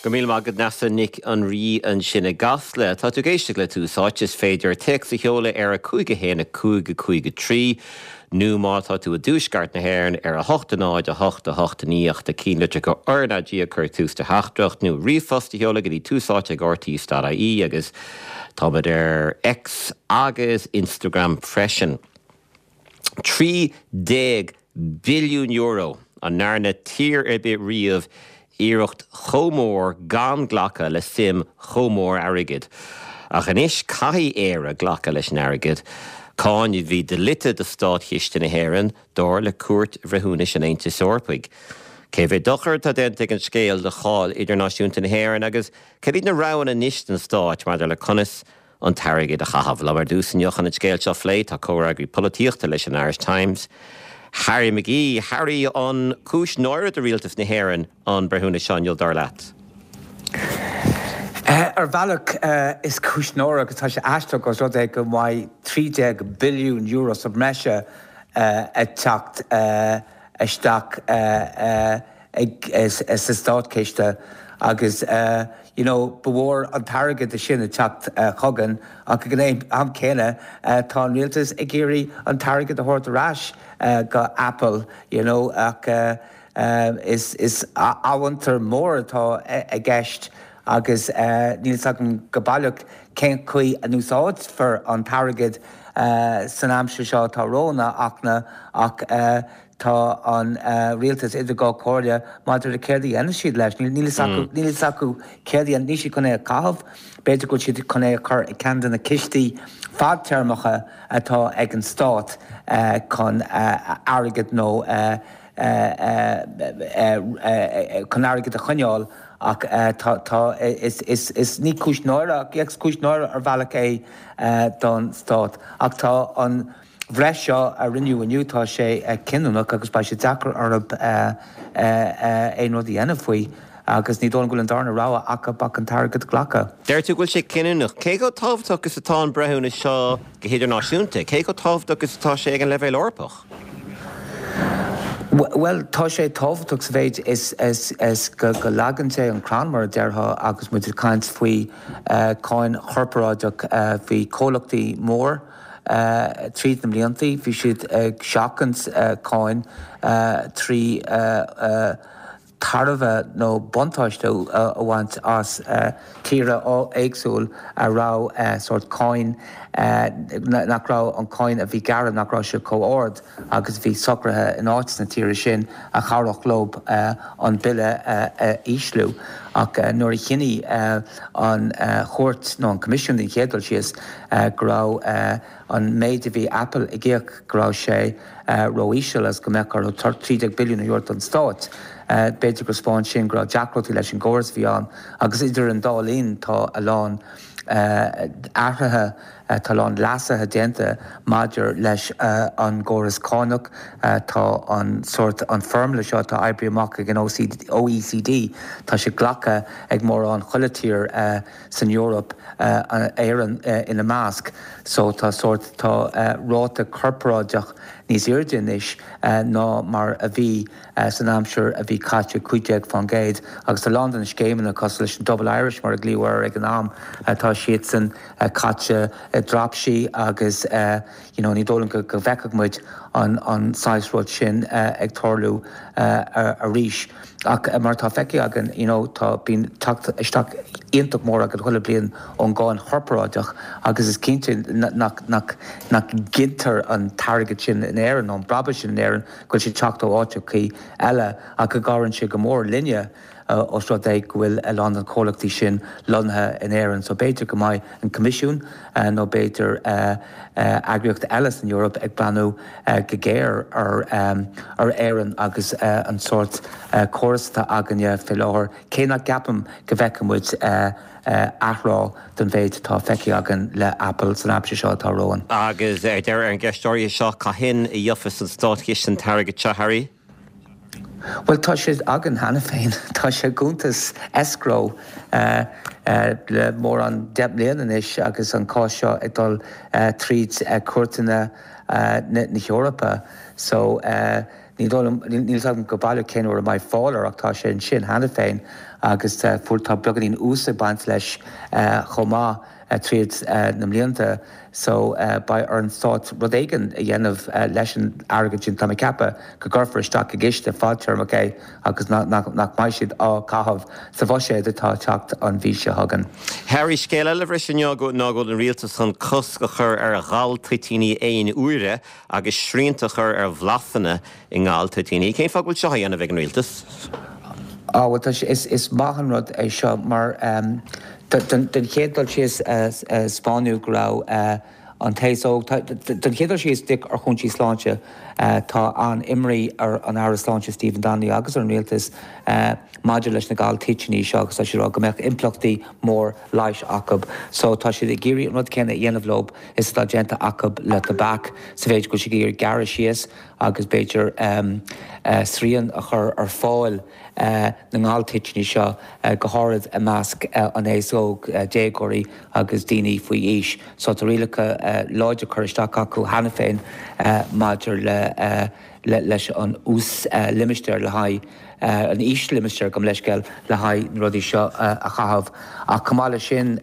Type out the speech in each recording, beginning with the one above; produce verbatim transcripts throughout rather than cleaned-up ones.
Go míle maith agat Neasa Nic an Rí ansin i gCasla. Tá tú ag éisteacht le Tús Áite is féidir téacs a sheoladh ar a cúig a haon a cúig a cúig a trí nó má tá tú i dtuaisceart na hÉireann ar a hocht a náid a hocht a hocht a naoi ach na ceannlitreacha RnaG a chur tús do theachtaireacht nó ríomhphost a sheoladh go dtí túsáite ag RTÉ.ie agus táimid ar X agus Instagram freisin. Trí déag billiún euro an ndearna tír ar bith riamh iarracht chomh mór gan glacadh le suim chomh mór airgid. Ach anois caithfidh Éire glacadh leis an airgead, cáin a bhí dlite do státchiste na hÉireann dar le Cúirt Bhreithiúnais an Aontais Eorpaigh. Cé mhéad dochar atá déanta ag an scéal do cháil idirnáisiúnta na hÉireann agus cad iad na roghanna anois don stát maidir le conas an t-airgead a chaitheamh. Liom ar dtús inniu chun an scéal seo a phlé tá comhfhreagraí polaitíochta leis an Irish Times. Harry McGee, Harry an cúis náire do rialtas na hÉireann an breithiúnas seo inniu dar leat. Uh, ar bhealach uh, is cúis náire agus tá sé aisteach os rud é go mbeidh trí déag billiún euro sa mbreise uh, ag teacht uh, isteach uh, uh, ag, sa státchiste agus uh, you know, ba mhór an t-airgead é sin ag teacht uh, chugainn ach ag an am céanna uh, tá an rialtas ag iarraidh an t-airgead a thabhairt ar ais uh, go Apple you know, ach uh, uh, is, is amhantar mór atá i gceist agus uh, níl agam go baileach cén chaoi a n-úsáidfear an t-airgead uh, san aimsir seo atá romhainn ach na ach uh, tá an uh, rialtas idir dhá chomhairle maidir le céard a dhéanfaidh siad leis. Níl mm. acu céard a ní siad chun é a chaitheamh, b'fhéidir go siad chun é a chur i gceann de na cistí fadtéarmacha atá ag an stát uh, chun uh, airgead nó uh, chun airgead a choinneáil ach tá is, is, is ní cúis náire ach cúis náire ar bhealach é don stát ach tá an bhreith seo a rinneadh inniu tá sé cinniúnach agus beidh sé deacair orthu aon rud a dhéanamh faoi agus ní dóigh go bhfuil an darna rogha acu ach an t-airgead a ghlacadh. Deir tú bhfuil sé cinniúnach, cé chomh tábhachtach is atá an breithiúnas seo go hidirnáisiúnta, cé chomh tábhachtach is atá sé ag an leibhéal Eorpach? Well tá sé tábhachtach sa mhéid is, is, is go, go leagann sé an crann mar a déarfá agus muid ag caint faoi uh, cáin chorparáideach uh, faoi comhlachtaí mór. Uh, tríd na blianta, bhí siad ag seachaint uh, cáin uh, trí uh, uh, tairbhe nó buntáiste a bhaint as uh, tíortha éagsúla a raibh uh, sort cáin uh, nach raibh an cáin a bhí gearrtha nach raibh sé chomh hard agus bhí socruithe in áit na tíre sin a chabhródh leo uh, an bille uh, uh, ísliú ach uh, nuair a chinn uh, an uh, chúirt nó an Coimisiún den chéad dul síos uh, go raibh uh, an méid a bhí Apple ag íoc go raibh sé uh, ró-íseal as go mbeadh ar trí déag billiún a thabhairt don stát. Uh, b'fhéidir gur thaispeáin sin go raibh deacrachtaí leis an gcóras bhí ann agus idir an dá linn tá a lán uh, athruithe uh, tá lán leasuithe déanta maidir leis uh, an gcóras cánach uh, tá an sort an formula seo atá oibrithe amach ag an OECD tá sé glactha ag mórán chuile thír uh, san Eoraip uh, Éireann uh, ina measc, so tá sort tá uh, ráta corparáideach níos airde anois uh, ná mar a bhí uh, san aimsir a bhí caite cúig déag faoin gcéad agus tá lán de na scéimeanna cosúil leis an Double Irish mar a glaodh ag an am uh, tá siad san uh, caite uh, dreapsí agus uh, you know, ní dóigh go go bhfeicfidh muid an, an saghas rud sin uh, ag tarlú uh, arís. Ach uh, mar tá feicthe againn you know, tá bíonn teacht isteach iontach mór againn chuile bliain ón gcáin chorparáideach agus is cinnte nach, nach, nach gcintear an t-airgead sin in Éirinn an brabús sin in Éirinn go bhfuil sé teacht ó áiteacha eile ach go gcabhraíonn sé go mór linne os rud é go bhfuil a lán den chomhlachtaí sin lonnaithe in Éirinn, so b'fhéidir go mbeidh an Coimisiún nó b'fhéidir eagraíocht eile san Eoraip ag breathnú go géar ar ar Éirinn agus an sort córas atá againne fé láthair cé nach gceapaim go bhfeicfidh muid athrá den mhéid atá feicthe againn le Apple san aimsir seo atá romhainn. Agus ar deireadh ar an gceist seo cathain a gheobhas an státchiste an t-airgead seo Harry? Well tá sé againn cheana féin tá sé i gcuntas escrow uh, uh, le mórán deich mbliana anois agus an cás seo ag dul uh, tríd uh, cúirteanna uh, na, na hEorpa. So uh, Ní dóigh liom, níl fhios agam go baileach cén uair a mbeidh fáil air ach tá sé ansin cheana féin agus fuair, tá beagáinín ús ag baint leis chomh maith tríd na mblianta so beidh ar an stát rud éigin a dhéanamh leis an airgead sin. Tá mé ag ceapadh go gcuirfear isteach i gciste fadtéarmach é agus nach mbeidh siad á chaitheamh sa bhuiséad atá ag teacht an mhí seo chugainn. Harry, scéal eile a bhris inniu ná go bhfuil an rialtas chun cosc a chur ar ghaltoitíní aon uaire agus srianta a chur ar bhlasanna i ngaltoitíní. Cén fáth go bhfuil seo á dhéanamh ag an rialtas? Á, bhuel, tá sé, is, is maith an rud é seo mar don chéad dul síos 'spáineadh go raibh an t-aos óg, don chéad dul síos ar chúinsí sláinte, tá an-imní ar an Aire Sláinte Stephen Donnelly agus ar an Rialtas maidir leis na galtoitíní seo agus tá siad ag rá go mbeadh impleachtaí mór leighis acu. So tá siad ag iarraidh an rud céanna a dhéanamh leo is atá déanta acu le tobac sa mhéid go bhfuil siad ag iarraidh gearradh síos agus b'fhéidir srian a chur ar fáil na ngaltoitíní seo, go háirid i measc an aos óg, déagóirí agus daoine faoi aois. So tá rialacha láidre curtha isteach acu cheana féin maidir le leis an uaslimistéar le haghaidh an íoslimistéar, gabh mo leithscéal, le haghaidh na rudaí seo a chaitheamh. Ach chomh maith leis sin,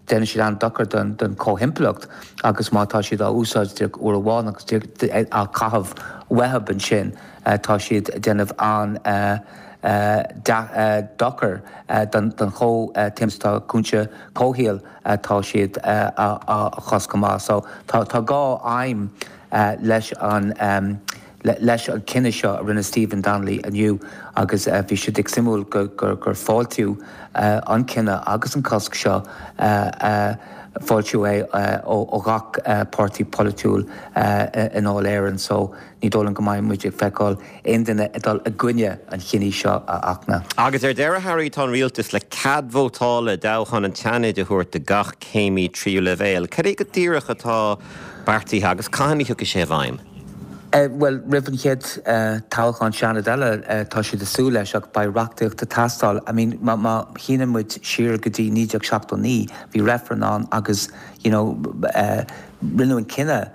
déanann siad an-dochar don chomhthimpeallacht agus má tá siad á úsáid díreach uair amháin agus á caitheamh uathub ansin, tá siad ag déanamh an-dochar don chomhthimpeallacht. Tá cúinse comhshaoil atá siad á chosc chomh maith. So tá dhá aidhm leis an leis an chinneadh seo a rinne Stephen Donnelly inniu agus bhí sé díreach suimiúil gur fáiltíodh an cinneadh agus an cosc seo, fáiltíodh é ó ghach páirtí polaitiúil i nDáil Éireann so ní dóigh liom go mbeidh muid ag feiceáil aon duine ag dul i gcoinne an chinnidh seo a Fhachtna. Agus ar deireadh, Harry, tá an rialtas le cead vótála i dtoghchán an tSeanaid a thabhairt do gach céimí tríú leibhéal. Cad é go díreach atá beartaithe agus cathain a thiocfaidh sé i bhfeidhm? Bhuel, roimh an chéad toghchán Seanaid eile, tá siad ag súil leis, ach beidh reachtaíocht ag teastáil. I mean, má má shíneann muid siar go dtí naoi déag seachtó naoi, bhí reifreann ann agus, you know, rinneadh an cinneadh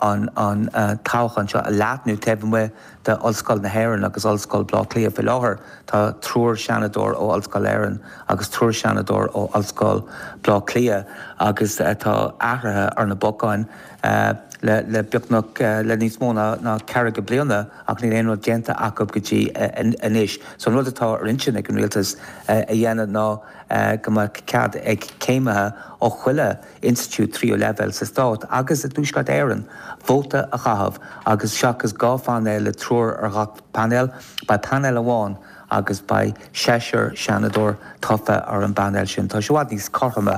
an an toghchán seo a leathnú taobh amuigh de Ollscoil na hÉireann agus Ollscoil Bhaile Átha Cliath. Faoi láthair, tá triúr Seanadóir ó Ollscoil Éireann agus triúr Seanadóir ó Ollscoil Bhaile Átha Cliath agus tá athruithe ar na bacáin le le beagnach le níos mó ná ná ceathracha bliana ach níl aon rud déanta acu go dtí anois. So an rud atá ar intinn ag an rialtas a dhéanamh ná go mbeadh cead ag céimithe ó chuile institiúid tríú leibhéal sa stát agus i dTuaisceart Éireann vóta a chaitheamh agus seachas dhá phainéal le triúr ar ghach painéal, beidh painéal amháin agus beidh seisear seanadóir tofa ar an bpainéal sin. Tá sé i bhfad níos cothroime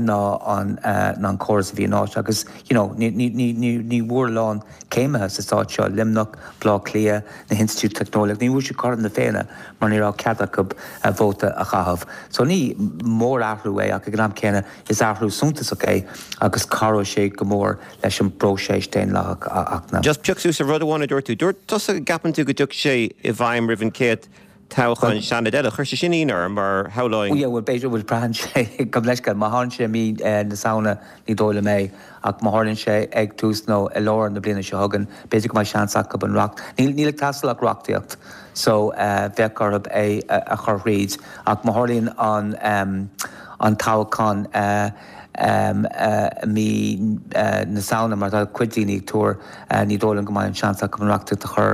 ná an ná an córas a bhí anois agus you know ní ní ní ní ní bhfuair a lán céimithe sa stát seo, Luimneach, Baile Átha Cliath, na hinstitiúidí teicneolaíochta, ní bhfuair siad cothrom na Féinne mar ní raibh cead acu vóta a chaitheamh. So ní mórathrú é ach ag an am céanna is athrú suntasach é agus cabhróidh sé go mór leis an bpróiseas daonlathach a Fhachtna. Just pioc suas ar rud amháin a dúirt tú. Dúirt tusa go gceapann tú go dtiocfaidh sé i bhfeidhm roimh an chéad toghchán Seanaid eile. Chuir sé sin ionadh orm mar shamhlóinn. Yeah, bhuel b'fhéidir, bhuel braitheann sé, gabh mo leithscéal, má tharlaíonn sé i mí na Samhna ní dóigh liom é, ach má tharlaíonn sé ag tús nó i lár na bliana seo chugainn, b'fhéidir go mbeidh seans acu an reacht, níl, níl ag teastáil ach reachtaíocht so bheadh orthu é a chur thríd, ach má tharlaíonn an, an toghchán i mí na Samhna, mar atá cuid daoine ag tuar, ní dóigh liom go mbeidh an seans acu an reachtaíocht a chur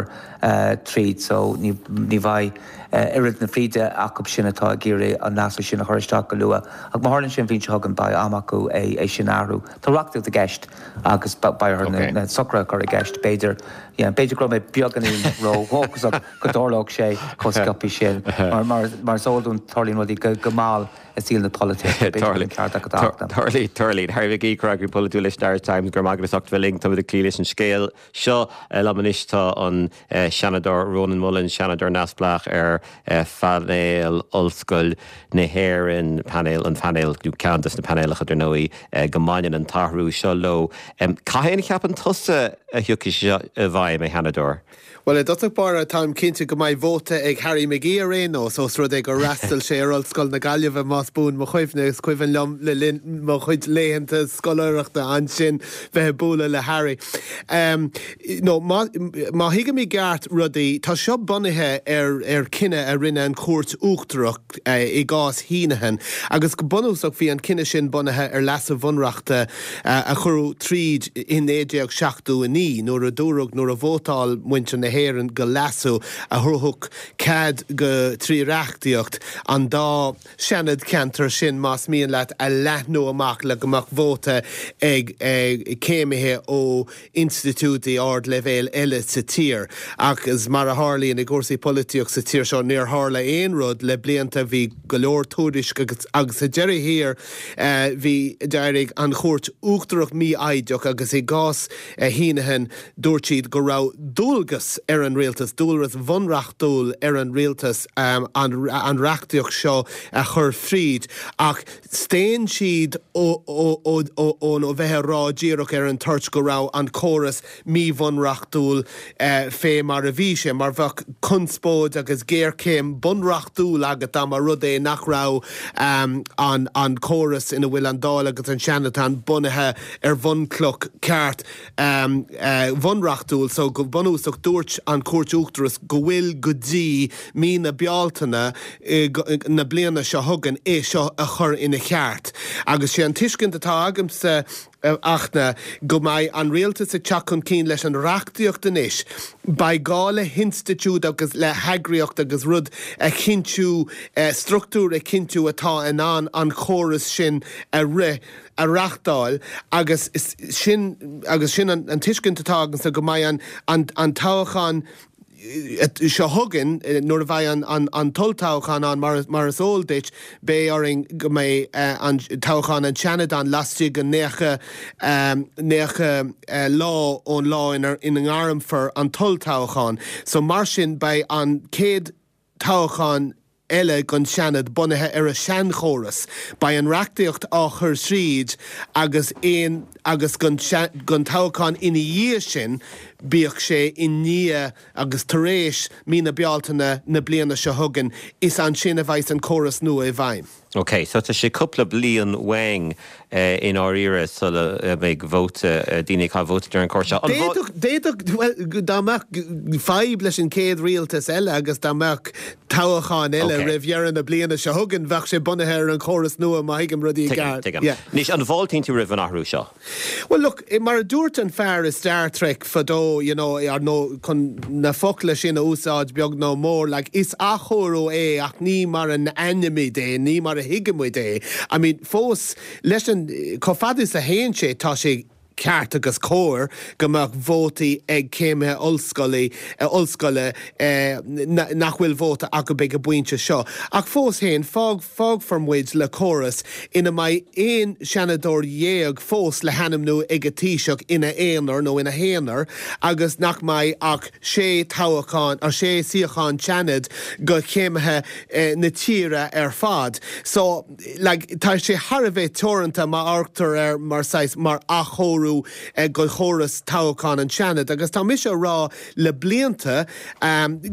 tríd so ní bheidh oiread na fríde acu sin atá ag iarraidh an leasú sin a chur isteach go luath. Ach má tharlaíonn sé an bhliain seo chugainn beidh am acu é sin a athrú. Tá reachtaíocht i gceist agus beidh orthu na socruithe a chur i gceist. B'fhéidir, yeah, b'fhéidir go raibh mé beagáinín ró-dhóchasach go dtarlódh sé chomh sciobtha sin. Mar mar is eol dúinn tarlaíonn rudaí go mall i saol na polaitíochta. B'fhéidir go bhfuil an ceart agat a Fhachtna. Tarlaíonn, tarlaíonn. Harry McGee, Comhfhreagraí Polaitiúil leis an Irish Times, go raibh maith agat as ucht bheith linn. Táimid ag cloí leis an scéal seo. Liom anois tá an Seanadóir Rónán Mullen, Seanadóir neamhspleách ar phainéal Ollscoil na hÉireann, painéal, an painéal, nó ceann des na painéalacha dar ndóigh, go mbaineann an t-athrú seo leo. Cathain a cheapann tusa a thiocfaidh sé seo i bhfeidhm, a Sheanadóir? Well i dtosach báire táim cinnte go mbeidh vóta ag Harry McGee ar aon nós ós rud é gur fhreastail sé ar Ollscoil na Gaillimhe más buan mo chuimhne is cuimhin liom le linn mo chuid laethanta scoláireachta ansin bheith ag bualadh le Harry. Um, no, má, má thuigim i gceart rudaí tá seo bunaithe ar ar cinneadh a rinne an Chúirt Uachtarach uh, i gcás Heneghan agus go bunúsach bhí an cinneadh sin bunaithe ar leasú bunreachta uh, a cuireadh tríd in naoi déag seachtó a naoi nuair a dúradh nuair a vótáil muintir na hÉireann go leasú a thabharfadh cead go trí reachtaíocht an dá Seanad ceantar sin más mian leat a leathnú amach le go mbeadh vóta ag céimithe ó institiúidí ardleibhéil eile sa tír. Agus mar a tharlaíonn i gcúrsaí polaitíocht sa tír seo níor tharla aon rud le blianta bhí go leor tuairisc agus agus sa deireadh thiar bhí d'éirigh an Chúirt Uachtarach mífhoighdeach agus i gcás Heneghan dúirt siad go raibh dualgas ar an rialtas, dualgas bunreachtúil ar an rialtas um, an, an reachtaíocht seo a chur fríd ach staon siad ó ó bheith ag rá díreach ar an toirt go raibh an córas míbhunreachtúil uh, fé mar a bhí sé, mar bheadh conspóid agus géarchéim bunreachtúil agat dá mba rud é nach raibh um, an, an córas ina bhfuil an Dáil agus an Seanad ann bunaithe ar bhunchloch ceart um, uh, bhunreachtúil, so go bunúsach dúirt an Chúirt Uachtarach go bhfuil go dtí mí na Bealtaine na bliana seo chugainn é seo a chur ina cheart. Agus sé an tuiscint atá agamsa ach ná go mbeidh an rialtas ag teacht chun cinn leis an reachtaíocht anois, beidh gá le hinstitiúid agus le heagraíocht agus rud a chinntiú, struchtúr a chinntiú atá in ann an córas sin a rith, a reachtáil agus sin agus sin an tuiscint atá agamsa go mbeidh an an toghchán seo chugainn nuair a bheidh an an t-olltoghchán ann mar mar is eol duit beidh orainn go mbeidh an toghchán an Seanad ann laistigh de naocha naocha lá ón lá ina ina ngairmfear an t-olltoghchán. So mar sin beidh an chéad toghchán eile don Seanad bunaithe ar an seanchóras. Beidh an reachtaíocht á chur tríd agus aon agus don toghchán ina dhiaidh sin, bíodh sé i ndiaidh agus tar éis mí na Bealtaine na bliana seo chugainn, is ansin a bheidh an córas nua i bhfeidhm. Ok, so tá sé cúpla bliain uainn i ndáiríre sula mbeidh vóta, daoine ag caitheamh vóta ar an gcóras seo. D'fhéadfadh, d'fhéadfadh, bhuel, dá mbeadh fadhb leis an chéad rialtas eile agus dá mbeadh toghchán eile roimh dheireadh na bliana seo chugainn, bheadh sé bunaithe ar an chóras nua má thuigim rudaí i gceart. Tuigim, tuigim. Anois, an bhfáiltíonn tú roimh an athrú seo? Well look, mar a dúirt an fear i Star Trek fadó, you know, ar nó chun na focla sin a úsáid beag nó mór, like, is athchóiriú é ach ní mar a aithnímid é, ní mar a thuigimid é. I mean, fós, leis an, chomh fada is a théann sé, tá sé ceart agus cóir go mbeadh vótaí ag céimithe ollscoile, ollscoile nach bhfuil vóta acu ag an bpointe seo. Ach fós féin, fág, fágfar muid le córas ina mbeidh aon Seanadóir dhéag fós le hainmniú ag an Taoiseach ina aonar nó ina haonar agus nach mbeidh ach sé toghchán, sé suíochán Seanaid go chéimithe na tíre ar fad. So, like, tá sé thar a bheith teoranta má amharctar air mar saghas, mar athchóiriú go chóras toghcháin an tSeanaid agus tá mise a rá le blianta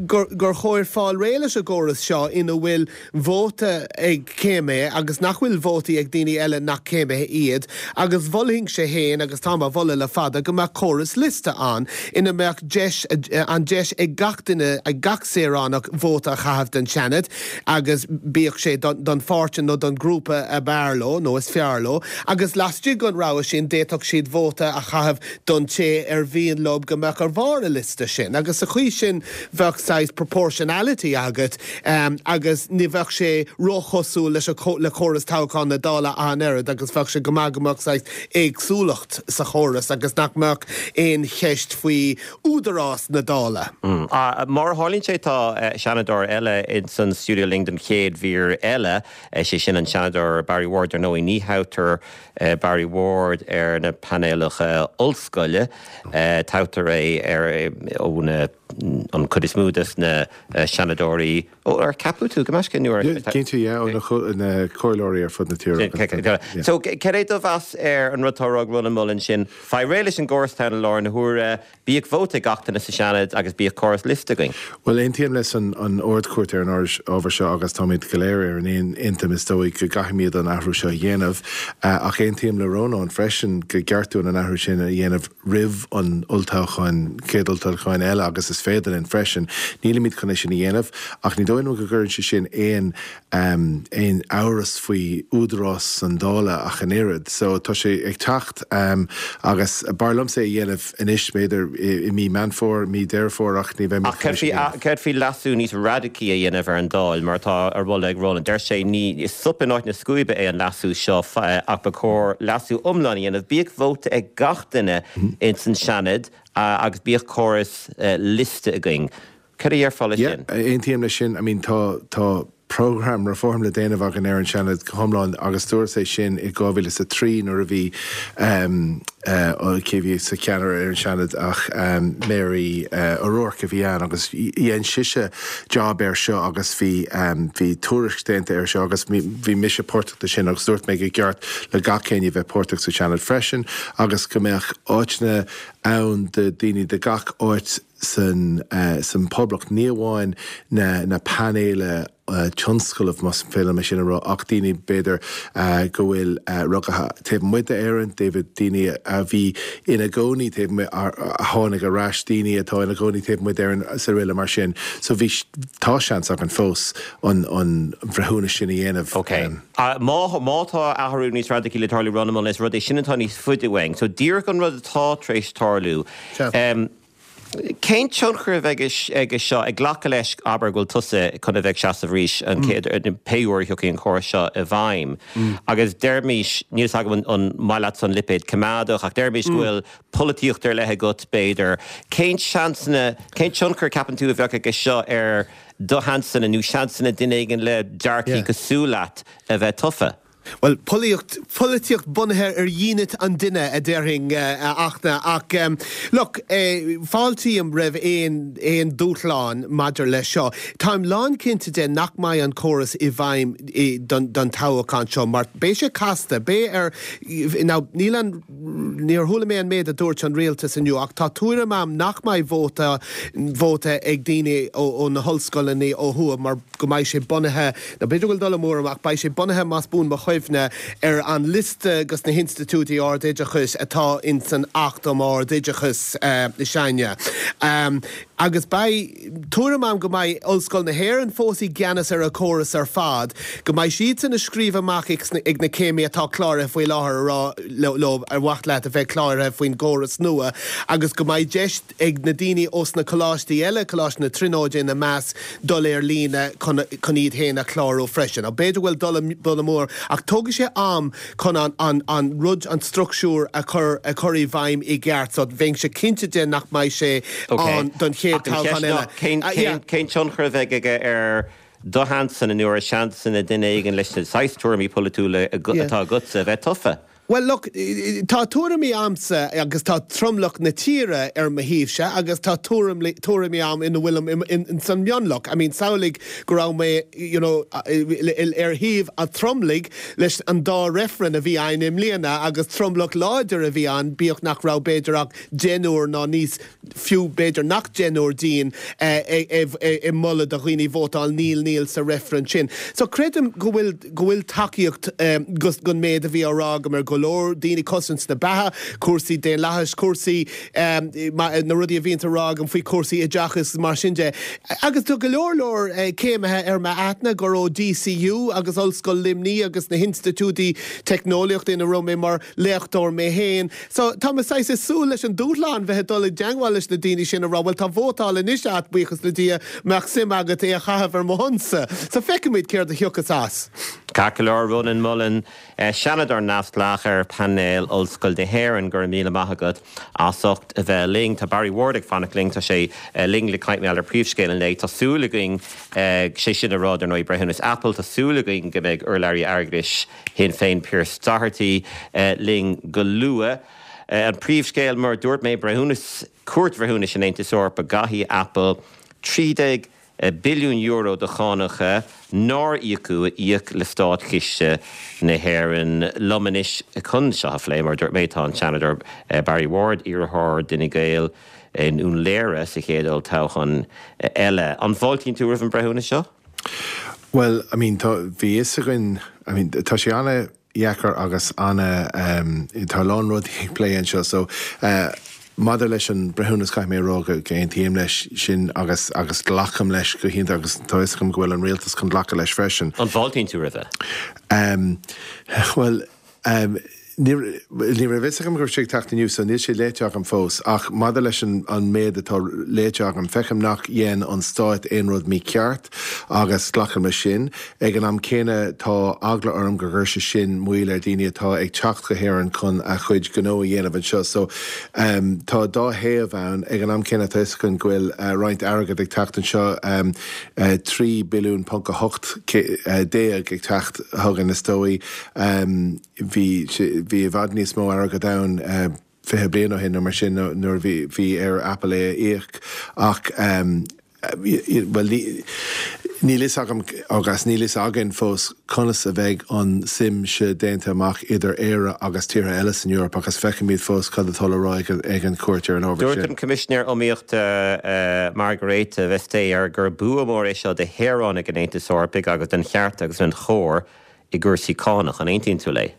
gur gur chóir fáil réidh leis an gcóras seo ina bhfuil vóta ag céimithe agus nach bhfuil vótaí ag daoine eile nach céimithe iad agus mholfainnse féin agus táim á mholadh le fada go mbeadh córas liosta ann ina mbeadh deis an deis ag gach duine ag gach saoránach vóta a chaitheamh don Seanad agus bíodh sé don pháirtí nó don ghrúpa ab fhearr leo nó is fearr leo agus laistigh den rogha sin d'fhéadfadh siad vóta a chaitheamh don té ar mhian leo go mbeadh ar bharr an liosta sin agus sa chaoi sin bheadh saghas proportionality agat agus ní bheadh sé róchosúil leis le córas toghcháin na Dála an oiread agus bheadh sé go maith go mbeadh saghas éagsúlacht sa chóras agus nach mbeadh aon cheist faoi údarás na Dála. Mar a tharlaíonn sé tá Seanadóir eile ins an stiúideo linn don chéad mhír eile, sé sin an Seanadóir Barry Ward. Ar ndóigh ní thoghtar Barry Ward ar na painéalacha ollscoile, toghtar é ar ó na an chuid is mó des na Seanadóirí ó ar ceapadh tú go measc nó ar Cinnte yeah, ó na na comhairleoirí ar fud na tíre. So cad é do mheas ar an rud atá á rá ag Rónán Mullen sin faigh réidh leis an gcóras atá i láthair na huaire bíodh vóta ag gach duine sa Seanad agus bíodh córas liosta againn. Well aontaím leis an an Ard-Chúirt ar an ábhar seo agus táimid go léir ar an aon intinn is dóigh go gcaithfimid an athrú seo a dhéanamh ach aontaím le Rónán freisin gur cheart dúinn an athrú sin a dhéanamh roimh an olltoghchán céad olltoghchán eile agus is féidir linn freisin. Nílimid chun é sin a dhéanamh ach ní dóigh liom go gcuireann sé sin aon um, aon amhras faoi údarás an Dála ach an oiread. So tá sé ag teacht um, agus b'fhearr liomsa é a dhéanamh anois b'fhéidir i mí Meán Fómhair mí Deireadh Fómhair ach ní bheidh Ach céard faoi leasú níos radacaí a dhéanamh ar an Dáil mar atá á mholadh ag Rónán. Deir sé ní is sop in áit na scuaibe é an leasú seo ach ba chóir leasú iomlán a dhéanamh bíodh vóta ag gach duine ins an Seanad agus bíodh córas liosta againn. Cad a déarfá leis sin? Aontaím leis sin, I mean tá tá program reform le déanamh againn ar an Seanad go hiomlán agus dúirt sé sin i dhá mhíle is a trí nuair a bhí um, uh, cé bhí sa cheannaire ar an Seanad ach um, Mary uh, O'Rourke a bhí ann agus dhein sise job air seo agus bhí um, bhí tuairisc déanta air seo agus bhí mise páirteach de sin agus dúirt mé gur cheart le gach éinne bheith páirteach sa Seanad freisin agus go mbeadh áiteanna ann de daoine de gach áit san uh, san poblacht ní amháin na, na painéil uh, tionsclaíoch más féidir liom sin a rá ach daoine b'fhéidir uh, go bhfuil uh, rugaithe taobh amuigh d'Éirinn, David daoine a bhí ina gcónaí taobh a tháinig ar ais daoine atá ina gcónaí taobh amuigh d'Éirinn sa réile mar sin. So bhí tá seans againn fós an an bhreithiúnas sin a dhéanamh. Ok. Um, má má tá athrú níos radacaí le tarlú Rónán is rud é sin atá níos faide uainn. So díreach an rud atá tar éis tarlú. Um, Cén tionchar a bheidh aige seo ag glacadh leis abair go bhfuil tusa chun a bheith ag seasamh arís an chéad pé uair a thiocfaidh an córas seo i bhfeidhm. Agus deirmís níl a fhios agam an maith leat an lipéad coimeádach ach deirmís go bhfuil polaitíocht ar leith agat b'fhéidir. Cén seansanna cén tionchar ceapann tú a bheadh aige seo ar do sheansanna nó seansanna duine éigin le dearcadh cosúil leat a bheith tofa? Well, polaitíocht polaitíocht bunaithe ar dhínit an duine a déarfainn uh, achna ach um, look, uh, fáiltím roimh aon aon dúshlán maidir leis seo. Táim lánchinnte de nach mbeidh an córas i bhfeidhm don, don toghchán seo, mar beidh sé casta, beidh ar now, níl an níor chuala mé an méid a dúirt an rialtas inniu ach tá tuairim agam nach mbeidh vóta vóta ag daoine ó, ó na hollscoileanna ó thuaidh mar go mbeidh sé bunaithe na b'fhéidir go bhfuil dul amú orm ach beidh sé bunaithe más buan mo chuimhne ar an liosta agus na hinstitiúidí ardoideachais atá in san Acht um Ard-Oideachas uh, seine. Um, agus beidh tuairim agam go mbeidh Ollscoil na hÉireann fós i gceannas ar a córas ar fad, go mbeidh siad san a scríobh amach ag na céimithe atá cláraithe faoi láthair rá leo ar mhaith leat a bheith cláraithe faoin gcóras nua, agus go mbeidh deis ag na daoine ós na coláistí eile Coláiste na Tríonóide ina measc dul ar líne chun iad féin a chlárú freisin. A b'fhéidir bhfuil dul amú ach tógfaidh sé am chun an, an, an rud an struchtúr a chur a chur i bhfeidhm i gceart, so bheinnse cinnte de nach mbeidh sé an don chéad toghchán eile. Cén tionchar a bheidh aige ar do sheansanna nó ar seansanna duine éigin leis na saghas tuairimí polaitiúla atá agatsa a bheith tofa? Well look, tá tuairimí agamsa agus tá tromlach na tíre ar mo thaobhse agus tá tuairimí agam ina bhfuilim in san mionlach. I mean samhlaigh go raibh mé you know, ar thaobh an tromlaigh leis an dá reifreann a bhí ann i mbliana agus tromlach láidir a bhí ann bíodh nach raibh b'fhéidir ach deichniúr ná níos fiú b'fhéidir nach deichniúr dínn ag moladh do dhaoine vótáil níl níl sa reifreann sin. So creidim go bhfuil go bhfuil tacaíocht um, gon méid a bhí á rá agam ar go leor daoine cosaint na beatha, cúrsaí daonlathais, cúrsaí um, na rudaí a bhíonn á rá agam faoi cúrsaí oideachais mar sin de. Agus tá go leor leor uh, céimithe ar m'aithne gur ó DCU agus Ollscoil Luimnigh agus na hinstitiúidí teicneolaíochta ina raibh mé mar léachtóir mé féin. So tá mé ag súil leis an dúshlán bheith dul i dteagmháil leis na daoine sin a rá, well tá vótáil anois agat buíochas le Dia mbeadh suim agat é a chaitheamh ar mo shonsa. So feicfimid céard a thiocfas as. Ceart go leor Rónán Mullen Seanadóir neamhspleách ar painéal Ollscoil na hÉireann go raibh míle maith agat as ucht a bheith linn Tá Barry Ward ag fanacht linn tá sé linn le caint ar príomhscéal an lae Tá súil againn sé sin a rá ar ndóigh breithiúnas Apple Tá súil againn go mbeidh urlabhraí airgeadais Shinn Féin Pearse Doherty linn go luath. An príomhscéal mar dúirt mé breithiúnas Cúirt Bhreithiúnais an Aontais Eorpaigh go gcaithfidh Apple trí déag billiún euro de chánacha nár íocadh a íoc le státchiste na hÉireann. Liom anois chun seo a phlé mar dúirt mé tá an Seanadóir Barry Ward, iarrthóir d'Fhine Gael i nDún Laoghaire sa chéad olltoghchán eile. An bhfáiltíonn tú roimh an breithiúnas seo? Well, I mean, tá bhí fhios againn, I mean, tá sé an-dheacair agus ana um, tá lán rudaí ag plé anseo so uh, Maidir leis an breithiúnas caithfidh mé a rá go n-aontaím leis sin agus agus glacaim leis go hiontach agus tá fhios agam go bhfuil an rialtas chun glacadh leis freisin. An bhfáiltíonn tú roimhe? Um, well, um, ní raibh fhios agam go raibh sé ag teacht inniu so níl sé léite agam fós ach maidir leis an an méid atá léite agam feicim nach dhein an stát aon rud mícheart agus glacaim leis sin. Ag an am céanna tá eagla orm go gcuirfidh sé sin moill ar daoine atá ag teacht go hÉirinn chun a chuid gnó a dhéanamh anseo. So um, tá dá thaobh ann ag an am céanna tá fhios againn go bhfuil uh, roinnt airgead ag teacht anseo um, uh, trí billiún ponc a hocht uh, déag ag teacht chugainn is dóigh. Um, bhí bhí i bhfad níos mó airgead ann uh, fiche bliain ó shin nó mar sin nuair bhí bhí ar Apple é a íoc ach um, well níl fhios agam agus níl fhios againn fós conas a bheidh an suim seo déanta amach idir Éire agus tíortha eile san Eoraip agus feicfimid fós cad atá le rá ag an chúirt ar an ábhar Dúirt sin. an Coimisinéir Iomaíochta Margrethe Vestager gur bua mór é seo do shaoránaigh an Aontais Eorpaigh agus don cheart agus don chóir i gcúrsaí cánach an aontaíonn tú léi.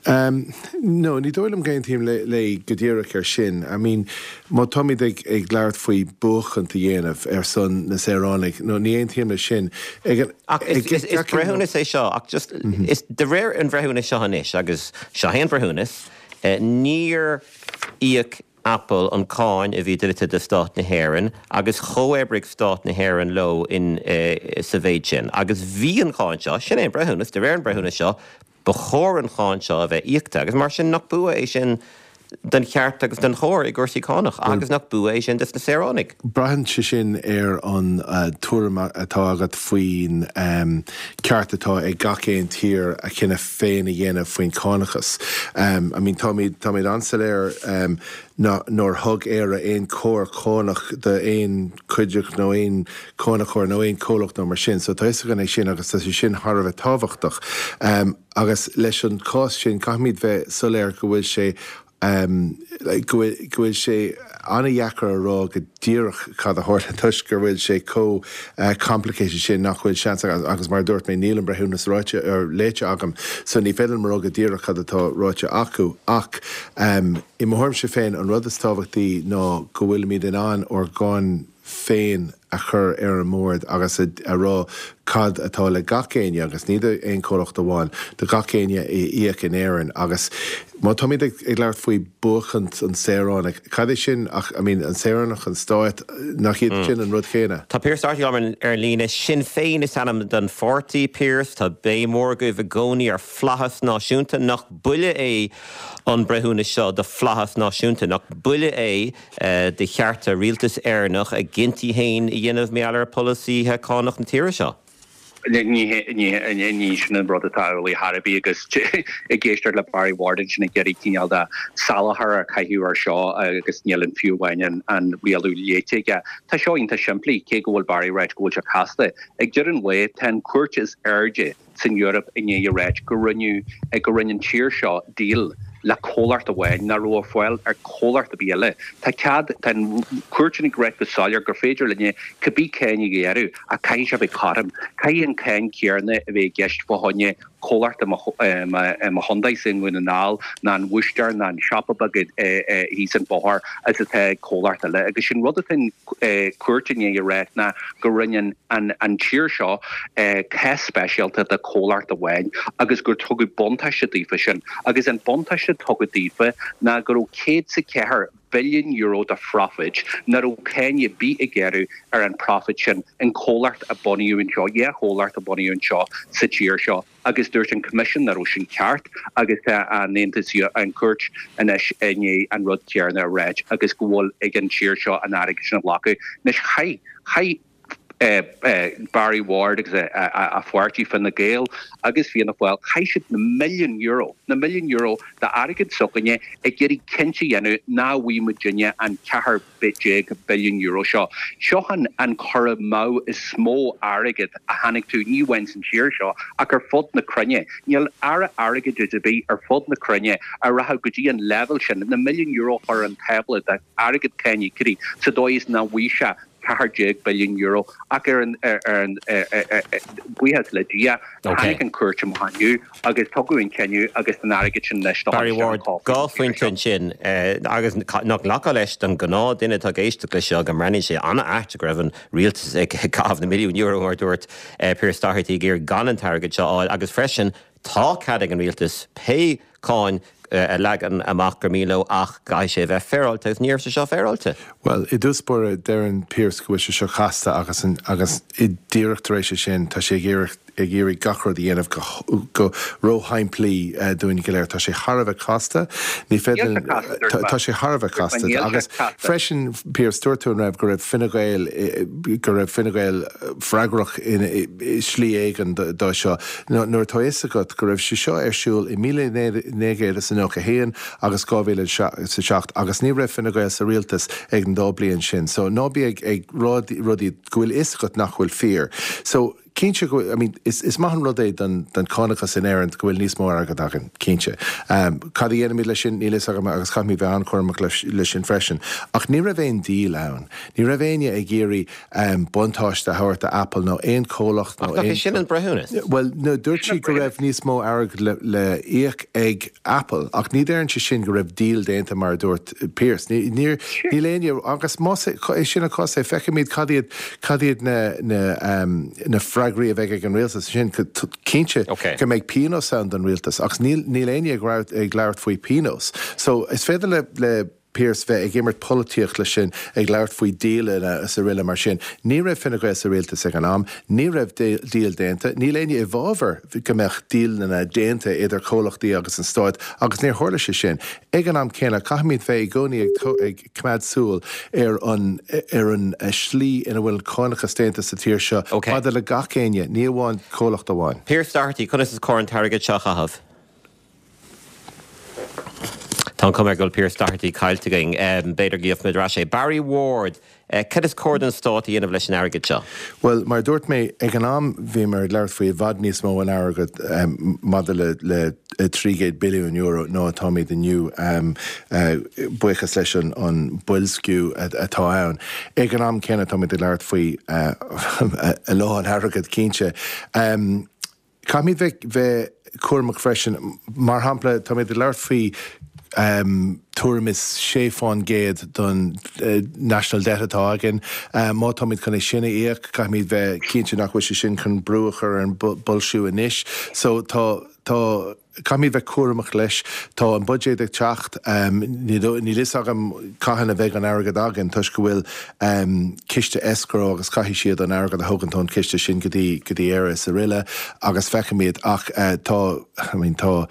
Um, no, ní dóigh liom go n-aontaím le, le go díreach ar sin. I mean, má táimid ag, ag labhairt faoi buachan a dhéanamh ar son na saoránaigh, no, ní aontaím le sin. Ag an, Ach is, is, is breithiúnas é seo ach just mm -hmm. is de réir an bhreithiúnas seo anois agus seo é an breithiúnas, eh, níor íoc Apple an cáin a bhí dlite do stát na hÉireann agus chomhoibrigh stát na hÉireann leo in eh, sa mhéid sin. Agus bhí an cháin seo sin é an breithiúnas de réir an breithiúnas seo ba chóir an cháin seo a bheith íoctha agus mar sin nach bua é sin don cheart agus don chóir i gcúrsaí cánach agus nach bua é sin dos na saoránaigh. Braitheann sé sin ar an uh, tuairim atá agat faoin um, ceart atá ag gach aon tír a chinneadh féin a dhéanamh faoin cánachas. Um, I mean, táimid táimid an-soiléir um, nár thug Éire aon cóir cánach d'aon chuideachta nó aon chánachóir nó aon chomhlacht nó mar sin, so tá gan é sin agus tá sé sin thar a bheith tábhachtach. Um, agus leis an cás sin caithfimid bheith soiléir go bhfuil sé um, go bhfuil sé an-deacair a rá go díreach cad a tharla toisc go bhfuil sé chomh uh, complicated sin nach bhfuil seans agus mar dúirt mé níl an breithiúnas ráite ar léite agam, so ní féidir mar go díreach cad atá ráite acu ach um, i mo thuairimse féin an rud is tábhachtaí ná go bhfuilimid in ann ár gcáin féin a chur ar an mbord agus a, a rá cad atá le gach éinne agus ní aon chomhlacht amháin do gach éinne a íoc in Éirinn agus má táimid ag, ag labhairt faoi buachant an saoránach cad é sin ach I mean, an saoránach an stát nach iad mm. sin an rud céanna. Tá Pearse Doherty ar ar líne Sinn Féin is ainm don pháirtí Pearse tá béim mhór agaibh i gcónaí ar flaitheas náisiúnta nach buille é an breithiúnas seo do flaitheas náisiúnta nach buille é uh, de chearta rialtas Éireannach a gcinntí féin a dhéanamh maidir le polasaithe cánach na tíre seo. ní sin an rud atá Haraí agus ag éisteacht le Barry Ward sin ag iarraidh cineál de salachar a chaitheamh ar seo agus níl an fiú amháin an rialú léite aige. Tá seo iontach simplí cé go bhfuil Barry ráite go bhfuil sé casta. Ag deireadh an lae tá an chúirt is airde san Eoraip i ndiaidh a ráit go rinne go rinne an tír seo deal le comhlacht amháin nach raibh ar fáil ar comhlacht ar bith eile. Tá cead an chúirt ag rá go soiléir gur féidir linne cibé cáin a ghearradh ach caithfidh sé bheith cothrom. Caithfidh an cáin chéanna a bheith i gceist fá choinne comhlacht mo chontae sin i nDún na nGall ná an búistéir ná an siopa beag thíos an bóthar is atá comhlacht eile. agus sin rud an chúirt i ndiaidh a rá ná go rinne an, an tír seo cás speisialta de comhlacht amháin agus gur tugadh buntáiste daofa sin. agus an buntáiste tugadh daofa ná go raibh céad is a ceathair billiún euro de profit nach raibh cáin ar bith a gearradh ar an profit sin an comhlacht a bunaíodh anseo, dhá chomhlacht a bunaíodh anseo sa tír seo. agus dúirt an Coimisiún nach raibh sin ceart agus tá an Aontas an chúirt anois i ndiaidh an rud céanna a rá agus go bhfuil ag an tír seo an airgead sin a ghlacadh. Anois chaith chaith Barry Ward agus a pháirtí Fine Gael agus Fianna Fáil, chaith siad na milliún euro, na milliún euro d'airgead s'againne ag iarraidh cinnte a dhéanamh nach bhfaighidh muidinne an ceathair déag billiún euro seo. Seo an an cur amú is mó airgid a chonaic tú ní amháin san tír seo ach ar fud na cruinne. Níl aire airgeadais ar bith ar fud na cruinne a rachadh go dtí an leibhéal sin, na milliún euro a chur ar an tábla d'airgead cáiníocóirí sa dóigh is nach bhfaighidh sé ceathair déag billiún euro ach ar an ar an buíochas le Dia tháinig an cúirt amach inniu agus tugadh an cinneadh agus an airgead sin anois do Barry Ward, dhá phointe ansin agus nach nglacfá leis don gnáth duine atá ag éisteacht leis seo go mbreathnaíonn sé an-ait go raibh an rialtas ag caitheamh na milliún euro mar dúirt Pearse Doherty ag iarraidh gan an t-airgead seo a fháil agus freisin tá cead ag an rialtas pé cáin a leagan amach gur mian leo ach caithfidh sé a bheith féaráilte agus ní raibh sé seo féaráilte. Bhuel, i dtús báire, deireann Pearse go bhfuil sé seo casta agus agus díreach tar éis sin tá sé ag iarraidh ag iarraidh gach rud a dhéanamh go go róshimplí dúinn go léir. Tá sé thar a bheith casta, ní féidir tá sé thar a bheith casta agus freisin Pearse dúirt tú an raibh go raibh Fine Gael go raibh Fine Gael freagrach i slí éigin dó seo. Nuair atá fhios agat go raibh sé seo ar siúl i míle naoi gcéad is a nócha haon agus dhá mhíle is a seacht agus ní raibh Fine Gael sa rialtas ag an dá bliain sin. So ná bí ag ag rá rudaí go bhfuil fhios agat nach bhfuil fíor. So cinnte go I mean, is, is maith an rud é don, don chánachas in Éirinn go bhfuil níos mó airgead againn, cinnte. Um, cad a dhéanfaimid leis sin níl fhios agam agus caithfimid bheith an-chúramach leis, leis sin freisin. Ach ní raibh aon díol ann. Ní raibh éinne ag iarraidh um, buntáiste a thabhairt do Apple nó aon chomhlacht nó Ach nach é sin an breithiúnas? Well, no, dúirt sí go raibh níos mó airgead le, le íoc ag Apple, ach ní deireann sé sin go raibh díol déanta mar a dúirt Pearse. Ní, níor, níl éinne agus más é sin an cás é feicfimid cad iad cad iad na, na, um, na freagraí a bheidh ag an rialtas sin cinnte Okay. go mbeidh pionós ann don rialtas agus níl níl éinne ag labhairt ag labhairt faoi pionós. So is féidir le, le Pearse bheith ag imirt polaitíocht leis sin ag labhairt faoi díolanna is araile mar sin. Ní raibh Fine Gael sa rialtas ag an am, ní raibh díol déanta, níl éinne i bhfabhar go mbeadh díolanna déanta idir comhlachtaí agus an stát agus níor tharla sé sin. Ag an am céanna caithfimid bheith i gcónaí ag, ag coimeád súil ar an ar an slí ina bhfuil cánachas déanta sa tír seo Okay. maidir le gach éinne, ní amháin comhlacht amháin. Pearse Doherty, conas is cóir an t-airgead seo a chaitheamh? Tá an cuma go bhfuil Pearse Doherty caillte againn b'fhéidir go bhfaighimid ar ais é. Barry Ward, cad is cóir don stát a dhéanamh leis an airgead seo? Well, mar dúirt mé ag an am bhí mar ag labhairt faoi i bhfad níos mó an airgead um, maidir le, le trí chéad billiún euro ná atáimid inniu um, uh, buíochas leis an, an boilsciú atá ann. Ag an am céanna táimid ag labhairt faoi uh, a lán airgead cinnte. Um, Caithfimid bheith bheith cúramach freisin mar shampla táimid ag labhairt faoi um, tuairim is sé faoin gcéad don uh, national debt atá againn. Uh, má táimid chun é sin a íoc, caithfimid bheith cinnte nach bhfuil sé sin chun brú a chur ar an boilsciú anois. So tá tá caithfimid bheith cúramach leis tá an budget ag teacht um, níl fhios agam cathain a bheidh an airgead againn toisc go bhfuil um, ciste escrow agus caithfidh siad an airgead a thugann ón ciste sin go dtí go dtí Éire is araile agus feicfimid ach uh, tá I mean, tá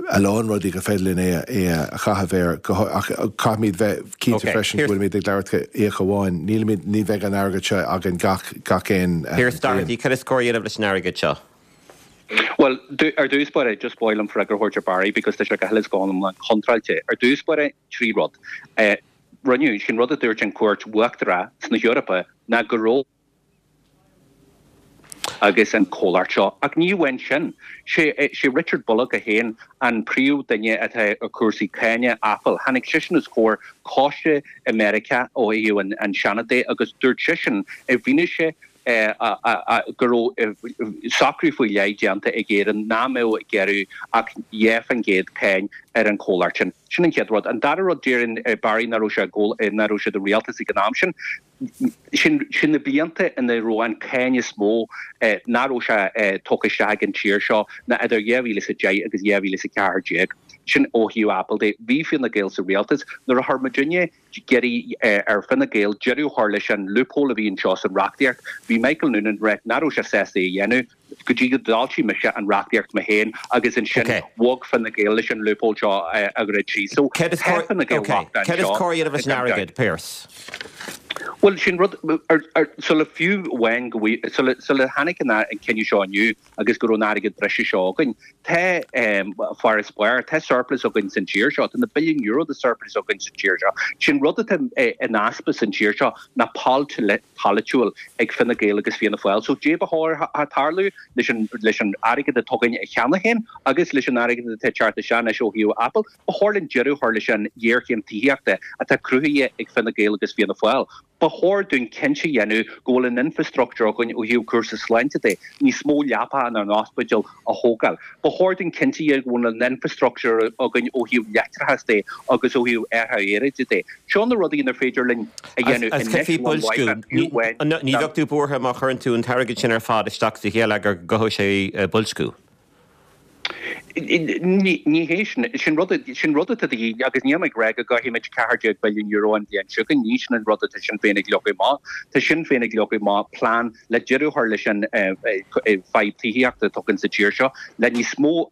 a lán rudaí gur féidir linn é é a chaitheamh air ach caithfimid bheith cinnte okay. freisin bhfuilimid ag labhairt íoc amháin nílimid ní bheidh an airgead seo againn gach gach aon Pearse Doherty cad is cóir a dhéanamh leis an airgead seo. Well, ar dtús báire just ba mhaith liom freagra a thabhairt ar Barry because tá sé go huile is go hiomlán contráilte. Ar dtús báire trí rud. Uh, Rinne sin rud a dúirt an cúirt uachtarach sna hEorpa ná go raibh agus an comhlacht seo ach ní amháin sin sé sé Richard Bullock a haon an príomhdhuine atá ar cúrsaí cáine Apple tháinig seisean os comhair coiste i Meiriceá ó thaobh an, an Seanad de agus dúirt seisean i bhfianaise go raibh socrú faoi leith déanta ag Éirinn nach mbeadh ag gearradh ach dhá faoin gcéad cáin ar an chomhlacht sin. Sin an chéad rud. An dara rud deireann Barry nach raibh sé nach raibh sé i rialtas ag an am sin. Sin sin na blianta ina raibh an cáin is mó nach raibh sé tugtha isteach ag an tír seo ná idir dhá mhíle is a deich agus dhá mhíle is a ceathair déag. Sin ó thaobh Apple de. Bhí Fine Gael sa rialtas nuair a chuir muidinne iarraidh ar Fine Gael deireadh a chur leis an loophole a bhí anseo san reachtaíocht. Bhí Michael Noonan ag rá nach raibh sé sásta é a dhéanamh go dtí go d'fhoilsigh mise an reachtaíocht mé féin agus ansin bhog Fine Gael leis an loophole seo a dhruid síos. So Cad is cóir a dhéanamh leis an airgead, Pearse? Bhuel, sin rud, sula fiú amháin go bhfui, sula, sula tháinig an cinneadh seo inniu agus go raibh an airgead breise seo againn, tá farasbarr, tá surplus againn san tír seo, tá na billiún euro de surplus againn sa tír seo. Sin rud atá in easpa san tír seo ná polaitiúil ag Fine Gael agus Fianna Fáil. So dé ba chóir tarlú leis an, leis an airgead atá againn cheana féin agus leis an airgead atá ag teacht isteach anois ó thaobh Apple, ba chóir linn deireadh a chur leis an ghéarchéim tithíochta atá cruthaithe ag Fine Gael agus Fianna Fáil. Ba chóir dúinn cinnte a dhéanamh go bhfuil an infrastructúr againn ó thaobh cúrsaí sláinte de, níos mó leapacha inár n-ospidéil a thógáil. Ba chóir dúinn cinnte a dhéanamh go bhfuil an infrastructúr againn ó thaobh leictreachas de agus ó thaobh athrú aeráide de. Seo na rudaí inar féidir linn a dhéanamh anois ón mhaith fiú amháin. Ní bheadh tú buartha má chuireann tú an t-airgead sin ar fad isteach sa gheilleagar go gcothódh sé boilsciú? Ní hé sin. Sin rud sin rud atá de dhíth agus níl mé ag rá go gcaithfimid ceathair déag billiún euro an bhliain seo chugainn. Ní sin an rud atá Sinn Féin ag leagadh amach. Tá Sinn Féin ag leagadh amach plean le deireadh a chur leis an fadhb tithíochta atá againn sa tír seo, le níos mó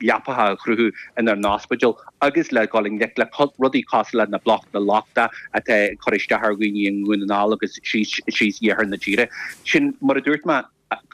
leapacha a chruthú inár n-ospidéil agus le dhul i ngleic le rudaí cosúil le na blocanna lochta atá ag cur isteach ar dhaoine i nDún na nGall agus síos síos iarthar na tíre. Sin, mar a dúirt mé,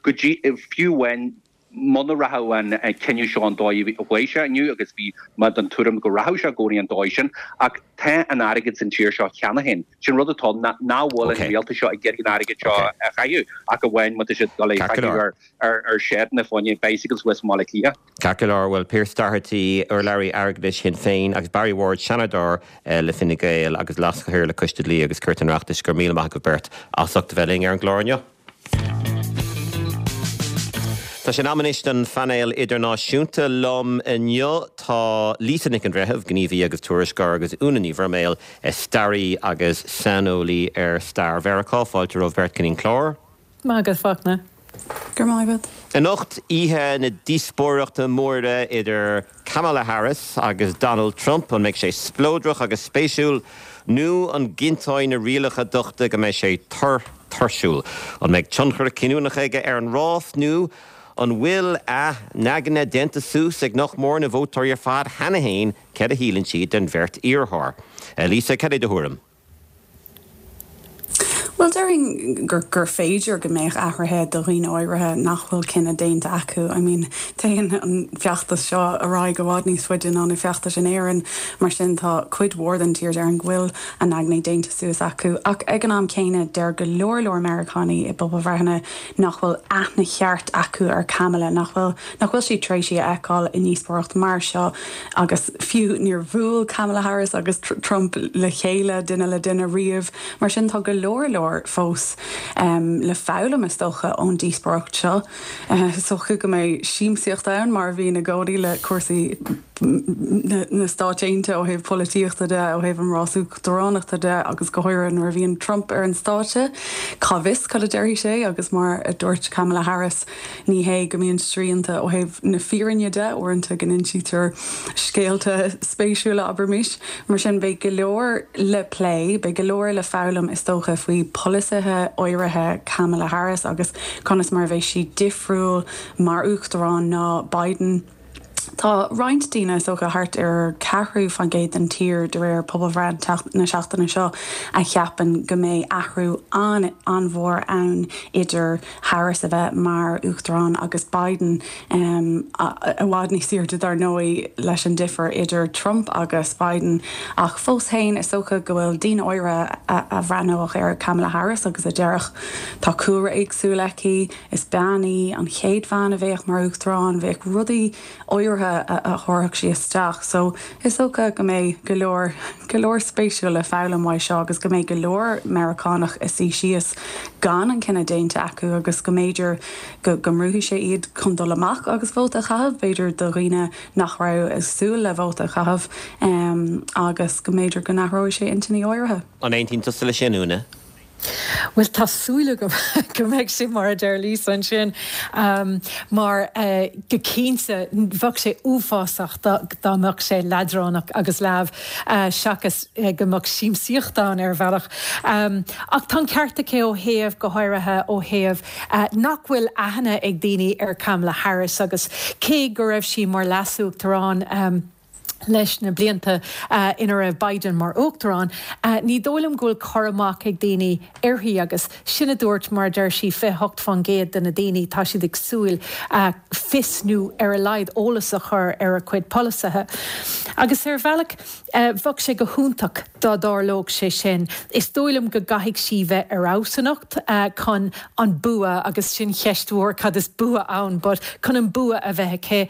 go dtí, fiú amháin muna rachadh an cinneadh seo an dóigh a chuaigh sé inniu, agus bhí mé den tuairim go rachadh sé i gcónaí an dóigh sin, ach tá an airgead san tír seo cheana féin. Sin rud atá ann, nach bhfuil an rialtas seo ag iarraidh an airgead seo a chaitheamh, ach amháin má tá siad ag dul é a chaitheamh ar sheideanna fá choinne bicycles thuas i mBaile Átha Cliath. Ceart go leor, bhuel, Pearse Doherty, urlabhraí airgeadais Shinn Féin, agus Barry Ward, Seanadóir le Fine Gael agus Leas-Chathaoirleach Coiste Dlí agus Cirt an Oireachtais, go raibh míle maith agaibh beirt as ucht a bheith linn ar an gclár inniu. Tá sé in am anois don phainéal idirnáisiúnta. Liom inniu tá Lisa Nic an Bhreithimh, gníomhaí agus tuairisceoir, agus Úna Ní Bhroiméil, staraí agus saineolaí ar stair Mheiriceá. Fáilte romhaibh beirt chuig an chlár. Maith agat, Fachtna. Go raibh maith agat. Anocht, oíche na díospóireachta móire idir Kamala Harris agus Donald Trump. An mbeidh sé spleodrach agus spéisiúil nó an gcinnteoidh na rialacha dochta go mbeidh sé tur tuirsiúil? An mbeidh tionchar cinniúnach aige ar an rás nó an bhfuil a n-aigne déanta suas ag nach mór na vótóirí ar fad cheana féin céard a shíleann siad den bheirt iarrthóir? Lisa, cad é do thuairim? Bhuel, déarfainn gur gur féidir go mbeadh athruithe do dhaoine áirithe nach bhfuil cinneadh déanta acu. I mean, téann an feachtas seo ar aghaidh i bhfad níos faide ná na feachtais in Éirinn, mar sin tá cuid mhór den tír, déarfainn, go bhfuil a n-aigne déanta suas acu. Ach ag an am céanna, deir go leor leor Meiriceánaigh i bpobalbhreitheanna nach bhfuil aithne cheart acu ar Kamala, nach bhfuil nach bhfuil siad tar éis í a fheiceáil i ndíospóireacht mar seo agus fiú níor bhuail Kamala Harris agus Trump le chéile duine le duine riamh. Mar sin tá go leor leor fós le foghlaim, is dócha, ón díospóireacht seo. Is dócha go mbeidh siamsaíocht ann, mar a bhíonn i gcónaí le cúrsaí na Stáit Aontaithe ó thaobh polaitíochta de, ó thaobh an rás uachtaránachta de agus go háirithe nuair a bhíonn Trump ar an stáitse. Cá bhfios cad a déarfaidh sé agus mar a dúirt Kamala Harris, ní hé go mbíonn srianta ó thaobh na fírinne de, uaireanta go n-insítear scéalta spéisiúla, abraimis. Mar sin, beidh go leor le plé, beidh go leor le foghlaim, is dócha, faoi pholasaithe áirithe Kamala Harris agus conas mar a bheidh sí difriúil mar uachtarán ná Biden. Tá roinnt daoine, is dócha thart ar ceathrú faoin gcéad den tír de réir pobalbhreith na seachtaine seo, a cheapann go mbeidh athrú an-mhór ann idir Harris a bheith mar uachtarán agus Biden, i bhfad níos airde dar ndóigh leis an difear idir Trump agus Biden. Ach fós féin, is dócha go bhfuil daoine áirithe a bhreathnódh ar Kamala Harris agus a déarfadh, tá cúlra éagsúil aici, is bean í, an chéad bhean a bheadh mar uachtarán, bheadh rudaí áirithe a thabharfadh sí isteach. So is dócha go mbeidh go leor, go leor spéisiúil le foghlaim uaidh seo agus go mbeidh go leor Meiriceánach ag suí síos gan an cinneadh déanta acu agus go mb'fhéidir go go mbrúfaidh sé iad chun dul amach agus vóta a chaitheamh, b'fhéidir do dhaoine nach raibh ag súil le vóta a chaitheamh agus go mb'fhéidir go n-athróidh sé intinní áirithe. An aontaíonn tusa leis sin, Úna? Bhuel, tá súil agam go mbeidh sé mar a deir Lisa ansin, mar go cinnte bheadh sé uafásach dá mbeadh sé leadránach agus leamh seachas go mbeadh siamsaíocht ann ar bhealach. Ach tá an ceart aici ó thaobh, go háirithe ó thaobh nach bhfuil aithne ag daoine ar Kamala Harris agus cé go raibh sí mar leasuachtarán, leis na blianta ina raibh Biden mar uachtarán, ní dóigh liom go bhfuil cur amach ag daoine uirthi agus sin a dúirt mar a deir sí fiche hocht faoin gcéad de na daoine tá siad ag súil fios nó ar a laghad eolas a chur ar a cuid polasaithe. Agus ar bhealach bheadh sé go hiontach dá dtarlódh sé sin. Is dóigh liom go gcaithfidh sí bheith ar fheabhas anocht chun an bua agus sin cheist mhór cad is bua ann but chun an bua a bheith aici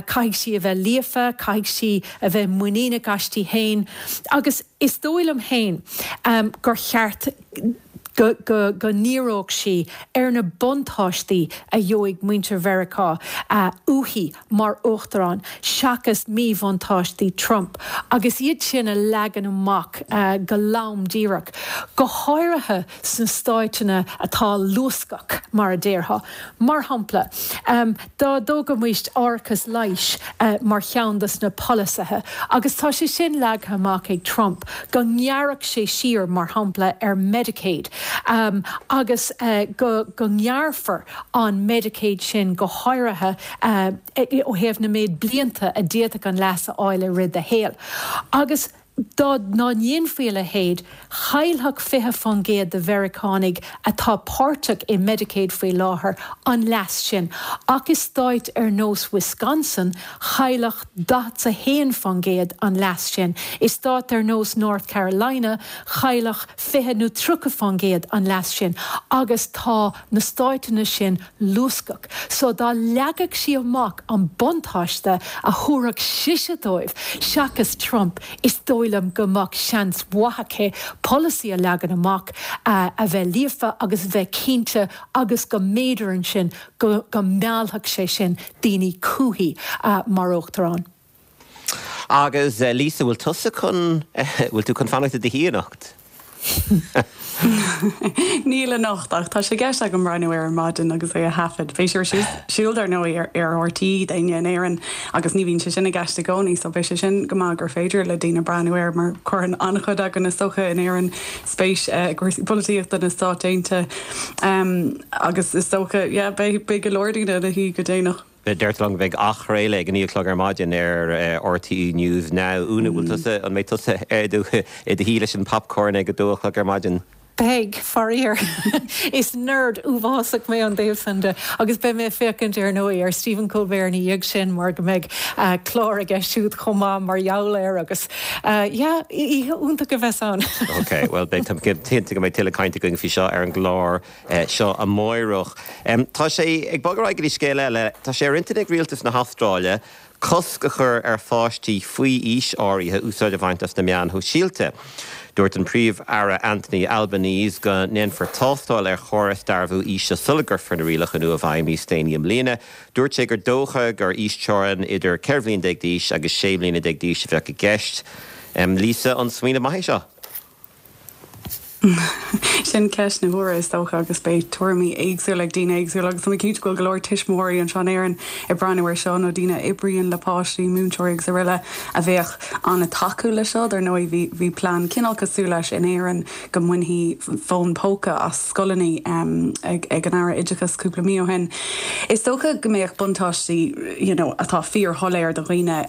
caithfidh sí a bheith líofa, caithfidh sí a bheith muiníneach aisti féin agus is dóigh liom féin gur cheart go go go ndíreodh sí ar na buntáistí a gheobhaidh muintir Mheiriceá uaithi mar uachtarán seachas míbhuntáistí Trump agus iad sin a leagan amach go lom díreach, go háirithe sna stáiteanna atá luascach, mar a déarfá. Mar shampla, dá dtógfaimis árachas leighis mar cheann de na polasaithe, agus tá sé sin leagtha amach ag Trump, go ngearrfadh sé siar, mar shampla, ar Medicaid agus go go ngearrfar an Medicaid sin go háirithe ó thaobh na méid blianta a d'fhéadfadh an leas a fháil i rith do shaoil. Agus dá ndéanfaí a leithéid, chaillfeadh fiche faoin gcéad de Mheiriceánaigh atá páirteach i Medicaid faoi láthair an leas sin, ach i stáit ar nós Wisconsin, chaillfeadh daichead a haon faoin gcéad an leas sin. I stát ar nós North Carolina, chaillfeadh fiche nó tríocha faoin gcéad an leas sin. Agus tá na stáiteanna sin luascach. So dá leagfadh sí amach an buntáiste a thabharfadh sise dóibh, seachas Trump, is dóigh liom go mbeadh seans mhaith aici polasaí a leagan amach a bheith líofa agus a bheith cinnte agus go mb'fhéidir ansin go go meallfadh sé sin daoine chuici mar uachtarán. Agus Lisa, bhfuil tusa chun, bhfuil tú chun fanacht i do shuí anocht? Níl anocht ach tá sé i gceist agam breathnú air ar maidin agus é a thaifead. Beidh sé ar siúl dar ndóigh ar ar RTÉ d'éinne in Éirinn agus ní bhíonn sé sin i gceist i gcónaí so beidh sé sin go maith gur féidir le daoine breathnú air mar cuireann an-chuid againn is dócha in Éirinn spéis i gcúrsaí polaitíochta na Stát Aontaithe agus is dócha yeah beidh beidh go leor daoine ina shuí go déanach. Deirtear liom go mbeidh athchraoladh ag a naoi a chlog ar maidin ar RTÉ News Now. Úna, bhfuil tusa, an mbeidh tusa i do shuí leis an popcorn ag a dó a chlog ar maidin? Beidh, faraor. Is nerd uafásach mé ón dtaobh san de agus beidh mé ag féachaint ar ndóigh ar Stephen Colbert ina dhiaidh sin mar go mbeidh clár aige siúd chomh maith mar gheall air agus yeah, oíche iontach a bheas ann. Ok, bhuel beidh, táim cinnte go mbeidh tuilleadh cainte againn faoi seo ar an gclár seo amáireach. Tá sé ag bogadh ar aghaidh go dtí scéal eile. Tá sé ar intinn ag rialtas na hAstráile cosc a chur ar pháistí faoi aois áirithe úsáid a bhaint as na meáin shóisialta. Dúirt an Príomh-Aire Anthony Albanese go ndéanfar tástáil ar chóras dearbhú aoise sula gcuirfear na rialacha nua i bhfeidhm níos déanaí i mbliana. Dúirt sé gur dócha gur aoisteorainn idir ceithre bhliain déag d'aois agus sé bliana déag d'aois a bheadh i gceist. Lisa, an smaoineamh maith é seo? Sin ceist na huaire is dócha agus beidh tuairimí éagsúla ag daoine éagsúla agus tá mé cinnte go bhfuil go leor tuismitheoirí anseo in Éirinn ag breathnú air seo nó daoine a oibríonn le páistí, múinteoirí agus araile a bheadh an-tacúil leis seo. Dar ndóigh bhí bhí plean cineál cosúil leis in Éirinn go mbainfí fón póca as scoileanna ag ag an Aire Oideachais cúpla mí ó shin. Is dócha go mbeadh buntáistí you know atá fíorshoiléir do dhaoine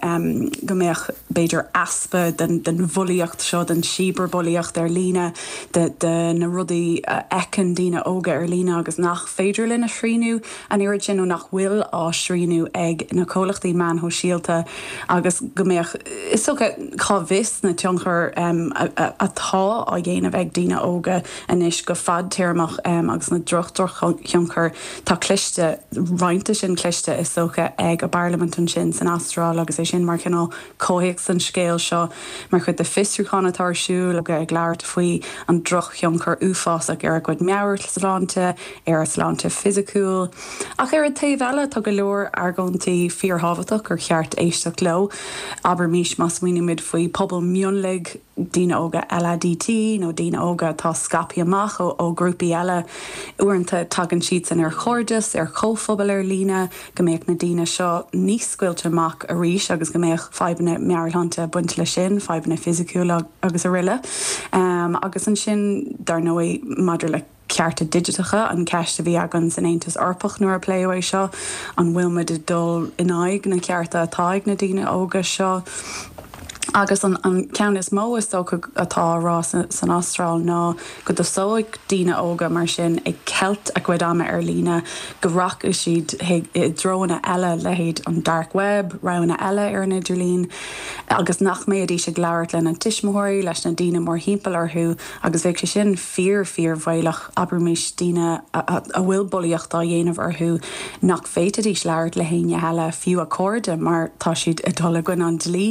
go mbeadh b'fhéidir easpa den den bhulaíocht seo, den cibearbhulaíocht ar líne, de de na rudaí a fheiceann daoine óga ar líne agus nach féidir linn a shrianú an oiread sin nó nach bhfuil á srianú ag na comhlachtaí meáin shóisialta agus go mbeadh, is dócha, cá bhfios na tionchair atá á dhéanamh ag daoine óga anois go fadtéarmach agus na droch-drochthionchair. Tá cloiste, roinnt de sin cloiste is dócha ag an bparlaimint ansin san Astráil agus é sin mar chineál comhthéacs don scéal seo mar chuid de fiosrúchán atá ar siúl ag labhairt faoi an drochthionchar uafásach ar a gcuid meabhairshláinte, ar a sláinte fisiciúil. Ach ar an taobh eile, tá go leor argóintí fíorthábhachtach gur cheart éisteacht leo. Abraimís má smaoinímid faoi pobal mionlaigh, daoine óga LADT nó daoine óga atá scaipthe amach ó ghrúpaí eile, uaireanta tagann siadsan ar chairdeas, ar chomhphobal ar líne, go mbeadh na daoine seo níos scoilte amach arís agus go mbeadh fadhbanna meabhairshláinte ag baint leis sin, fadhbanna fisiciúla agus araile. Agus ansin, dar ndóigh, maidir le cearta digiteacha, an cheist a bhí againn san Aontas Eorpach nuair a pléadh é seo, an bhfuil muid ag dul in aghaidh na cearta atá ag na daoine óga seo? Agus an, an ceann is mó is dócha atá á rá san Astráil ná go dtosóidh daoine óga mar sin ag ceilt a gcuid ama ar líne, go rachaidh siad i dtreonna eile, leithéid an dark web, roghanna eile ar an idirlíon, agus nach mbeidís ag labhairt lena dtuismitheoirí, leis na daoine mórthimpeall orthu, agus bheadh sé sin fíor fíorbhaolach, abraimis daoine a bhfuil bulaíocht á dhéanamh orthu nach bhféadfaidís labhairt le héinne eile, fiú a cairde, mar tá siad ag dul i gcoinne an dlí.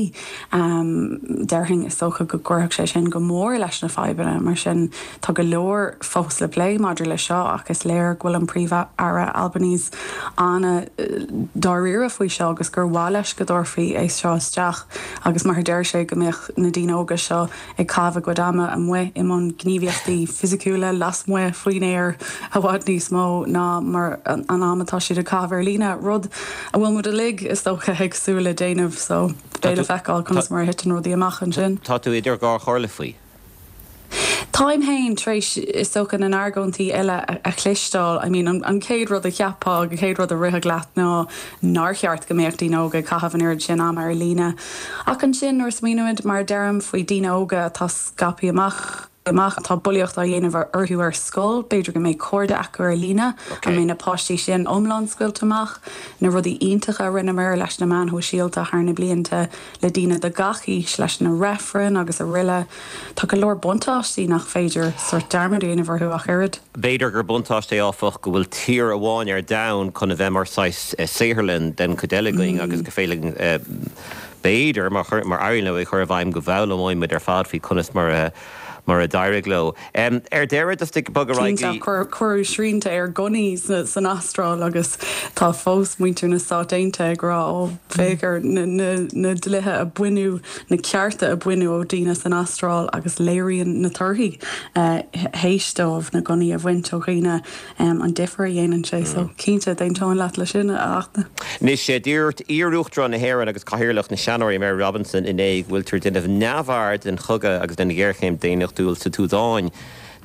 Déarfainn is dócha go gcuirfeadh sé sin go mór leis na fadhbanna. Mar sin, tá go leor fós le plé maidir le seo ach is léir go bhfuil an Príomh-Aire Albanese an-dáiríre faoi seo agus gur mhaith leis go dtabharfaí é seo isteach agus mar a deir sé go mbeadh na daoine óga seo ag caitheamh a gcuid ama amuigh i mbun gníomhaíochtaí fisiciúla lasmuigh faoin aer i bhfad níos mó ná mar an am atá siad ag caitheamh ar líne, rud a bhfuil muid uilig is dócha ag súil le déanamh so beidh le feiceáil conas mar a thiteann rudaí amach ansin. Tá tú idir dhá chomhairle faoi. Táim féin tar éis is dócha na n-argóintí eile a chloisteáil. I mean an chéad rud a cheapfá, an chéad rud a rithfeadh leat ná nár cheart go mbeadh daoine óga ag caitheamh an oiread sin ama ar líne. Ach ansin nuair a smaoinímid, mar a deirim, faoi daoine óga atá scaipthe amach, amach, tá bulaíocht á dhéanamh orthu ar scoil, b'fhéidir go mbeidh cairde acu ar líne, an mbeidh na páistí sin iomlán scaoilte amach? Na rudaí iontacha a rinneamar leis na meáin shóisialta thar na blianta le daoine de gach aois, leis na reifrinn agus araile. Tá go leor buntáistí nach féidir sórt dearmad a dhéanamh orthu ach oiread. B'fhéidir gur buntáiste é áfach go bhfuil tír amháin ar domhan chun a bheith mar saghas saotharlann den chuid eile againn agus gur féidir linn b'fhéidir mar éiríonn leo é a chur i bhfeidhm go bhfoghlaimeoidh muid ar fad faoi conas mar a mar a d'éirigh leo. Ar deireadh, just ag bogadh ar aghaidh Cinnte, cuireadh srianta ar gunnaí san Astráil agus tá fós muintir na Stát Aontaithe ag rá ó féach ar na dlíthe a baineadh, na cearta a baineadh ó daoine san Astráil agus léiríonn na torthaí théis dóibh na gunnaí a bhaint ó dhaoine an difear a dhéanann sé. So cinnte, d'aontóinn leat leis sin, a Fhachtna. Anois, dúirt iar-Uachtarán na hÉireann agus Cathaoirleach na Seanóirí Mary Robinson inné go bhfuiltear ag déanamh neamhaird den chogadh agus den ghéarchéim daonnachtúil sa tSúdáin.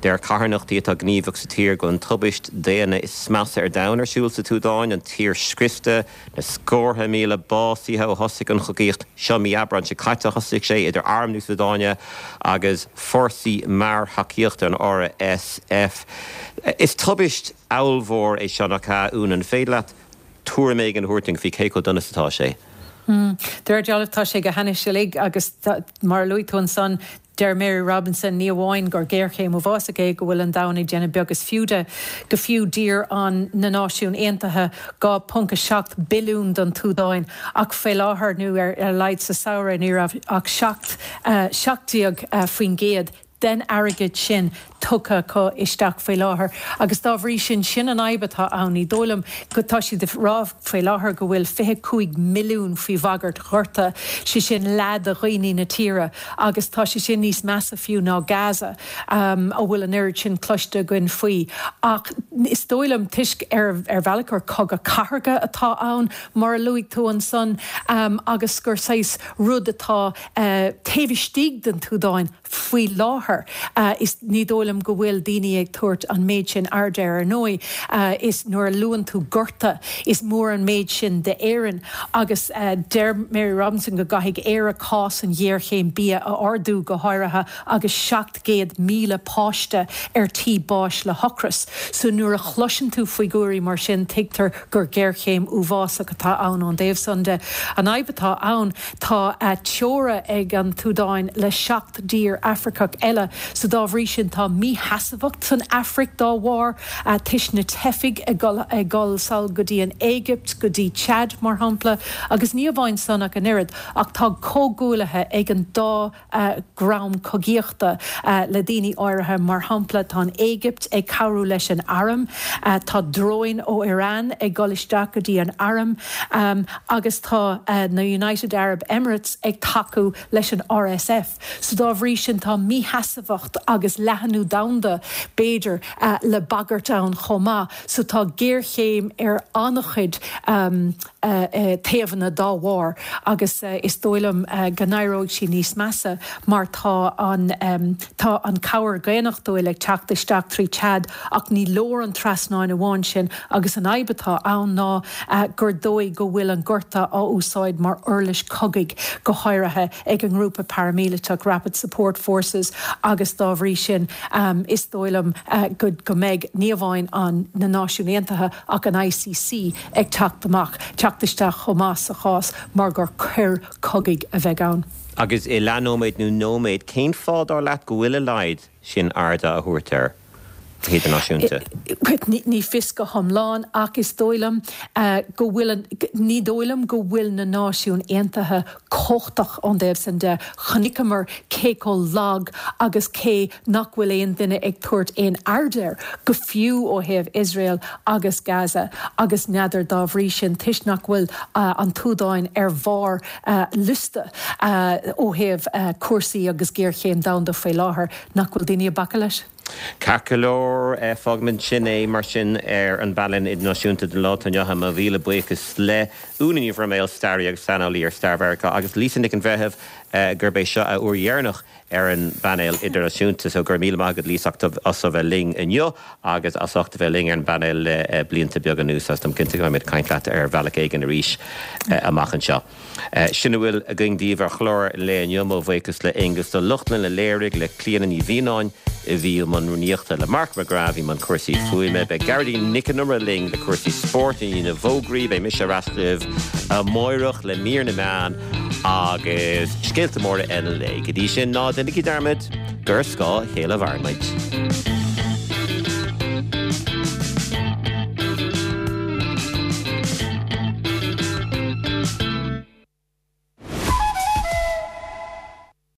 Deir carthanachtaí atá gníomhach sa tír go bhfuil an tubaist daonna is measa ar domhan ar siúl sa tSúdáin, an tír scriosta, na scórtha míle básaithe ó thosaigh an chogaíocht seo mí Aibreáin seo caite. Thosaigh sé idir Arm na Súdáine agus Fórsaí Mear-Thacaíochta an RSF. Is tubaist ollmhór é seo, nach ea, Úna? An féidir leat tuairim éigin a thabhairt dúinn faoi cé chomh dona is atá sé? De réir dealraimh tá sé go hainnis uilig agus mar a luaigh tú ansan, deir Mary Robinson ní amháin gur géarchéim uafásach é go bhfuil an domhan ag déanamh beag is fiú de, go fiú d'iarr an na Náisiúin Aontaithe dhá ponc a seacht billiún don tSúdáin ach faoi láthair nó ar a laghad sa samhradh ní raibh ach seacht seacht déag faoin gcéad den airgead sin tugtha acu isteach faoi láthair agus dá bhrí sin, sin an fhadhb atá ann. Ní dóigh liom go, tá siad ag rá faoi láthair go bhfuil fiche cúig milliún faoi bhagairt ghorta, sé sin leath de dhaoine na tíre agus tá sé sin níos measa fiú ná Gaza a bhfuil an oiread sin cloiste againn faoi. Ach is dóigh liom, toisc ar ar bhealach gur cogadh cathartha atá ann, mar a luaigh tú ansan, agus gur saghas rud atá taobh istigh den tSúdáin faoi láthair, is ní dóigh liom go bhfuil daoine ag tabhairt an méid sin airde air. Ar ndóigh, is nuair a luann tú gorta, is mór an méid sin d'Éirinn agus deir Mary Robinson go gcaithfidh Éire cás an ghéarchéim bia a ardú, go háirithe agus seacht gcéad míle páiste ar tí báis le hocras. So nuair a chloiseann tú figiúirí mar sin, tuigtear gur géarchéim uafásach atá ann ón dtaobh san de. An fhadhb atá ann, tá teora ag an tSúdáin le seacht dtír Afracach eile, so dá bhrí sin tá mísheasmhacht san Afraic dá bharr, toisc na teifigh ag dul ag dul sall go dtí an Éigipt, go dtí Chad mar shampla, agus ní amháin san ach an oiread, ach tá comhghuaillithe ag an dá dhream cogaíochta le daoine áirithe, mar shampla tá an Éigipt ag cabhrú leis an arm, tá dróin ó Iran ag dul isteach go dtí an arm agus tá na United Arab Emirates ag tacú leis an RSF. So dá bhrí sin tá mísheasmhacht. seasmhacht agus leathnú domhanda b'fhéidir le bagairt ann chomh maith. So tá géarchéim ar an-chuid taobhanna dá bharr agus is dóigh liom go n-éireoidh sí níos measa mar tá an tá an cabhair dhaonnachtúil ag teacht isteach trí Chad ach ní leor an trasnán amháin sin agus an fhadhb atá ann ná gur dóigh go bhfuil an gorta á úsáid mar uirlis cogaidh go háirithe ag an ngrúpa paraimíleatach Rapid Support Forces agus dá bhrí sin is dóigh liom go go mbeidh ní amháin an na Náisiúin Aontaithe ach an ICC ag teacht amach, teacht isteach chomh maith sa chás mar gur coir cogaidh a bheidh ann. Agus i leathnóiméad nó nóiméad, cén fáth dar leat go bhfuil a laghad sin airde á thabhairt air go hidirnáisiúnta? Ní fios go hiomlán ach is dóigh liom go bhfuil an, ní dóigh liom go bhfuil na Náisiúin Aontaithe cumhachtach ón dtaobh sin de. Chonaiceamar cé chomh lag agus cé nach bhfuil aon duine ag tabhairt aon aird air, go fiú ó thaobh Iosrael agus Gaza agus n'fheadar dá bhrí sin toisc nach bhfuil an tSúdáin ar bharr liosta ó thaobh cúrsaí agus géarchéim domhanda faoi láthair, nach bhfuil daoine ag bacadh leis. Ceart go leor, fágfaimid sin é mar sin ar an bpainéal idirnáisiúnta don lá atá inniu ann. Mo mhíle buíochas le Úna Ní Bhroiméil, staraí agus saineolaí ar stair Mheiriceá, agus Lisa Nic an Bhreithimh, gurb é seo a uair dheireanach ar an bpainéal idirnáisiúnta. So go raibh míle maith agat Lisa as a bheith linn inniu agus as ucht a bheith linn ar an bpainéal le blianta beaga anuas agus táim cinnte go mbeimid ag caint leat ar bhealach éigin arís amach anseo. Sin a bhfuil againn daoibh ar chlár an lae inniu. Mo bhuíochas le Aonghus Ó Lochlainn a léirigh, le Clíona Ní Mhianáin a bhí i mbun rúnaíochta, le Mark McGrath a bhí i mbun cúrsaí fuaime. Beidh Gearóidín Nic an Iomaire linn le cúrsaí spóirt i ndiaidh na bhfógraí. Beidh mise ar ais libh amáireach le mír na meán agus scéalta móra eile an lae. Go dtí sin, ná déanaigí dearmad gur ar scáth a chéile a mhaireann muid.